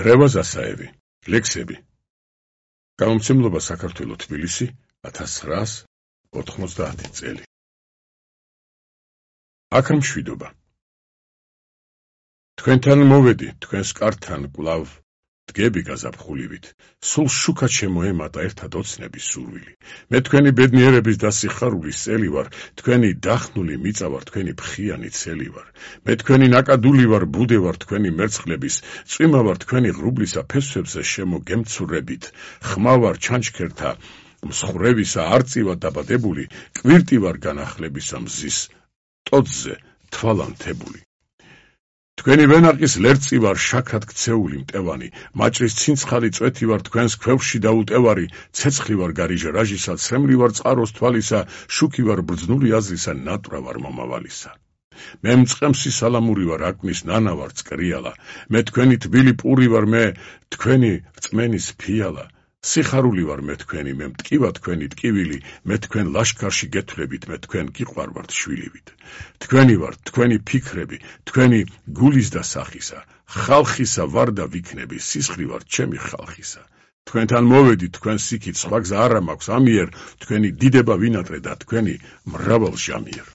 რევაზ ასაევი, ლექსები. გამომცემლობა საქართველო თბილისი 1990 წელი. აქ მშვიდობა. თქვენთან მოვედი, თქვენს კართან კვლავ დგები გაზაფხულივით, სულ შუქად შემოემატა ერთად ოცნების სურვილი. მე თქვენი ბედნიერების და სიხარულის წელი ვარ, თქვენი დახნული მიწა ვარ, თქვენი ფხიანი ცელი ვარ. მე თქვენი ნაკადული ვარ, ბუდე ვარ თქვენი მერცხლების, წვიმა ვარ თქვენი ღრუბლისა ფესვებზე შემოგემცურებით. ხმა ვარ ჩანჩქერთა მსხრევისა არწივად დაბადებული, კვირტი ვარ განახლებისა მზის ტოტზე თვალანთებული. თქვენი ვენაყის ლერწი ვარ შაქრად ქცეული მტევანი, მაჭრის ცინცხალი წვეთი ვარ თქვენს ქვევში დაუტევარი, ცეცხლი ვარ გარიჟა რაჟისა, ცრემლი ვარ წყაროს თვალისა, შუქი ვარ ბრძნული აზრისა, ნატვრა ვარ მომავალისა. მე მწყემსი სალამური ვარ, აკნის ნანა ვარ წკრიალა, მე თქვენი თბილი პური ვარ, მე თქვენი რწმენის ფიალა. სიხარული ვარ მე თქვენი, მე მტკივა თქვენი ტკივილი, მე თქვენ ლაშქარში გეთვლებით, მე თქვენ გიყვარვართ შვილივით. თქვენი ვარ, თქვენი ფიქრები, თქვენი გულის და სახისა, ხალხისა ვარ და ვიქნები, სისხლი ვარ ჩემი ხალხისა. თქვენთან მოვედი, თქვენ სიქით, სხვა გზა არა მაქვს ამიერ, თქვენი დიდება ვინატრე და თქვენი მრავალ ჟამიერ.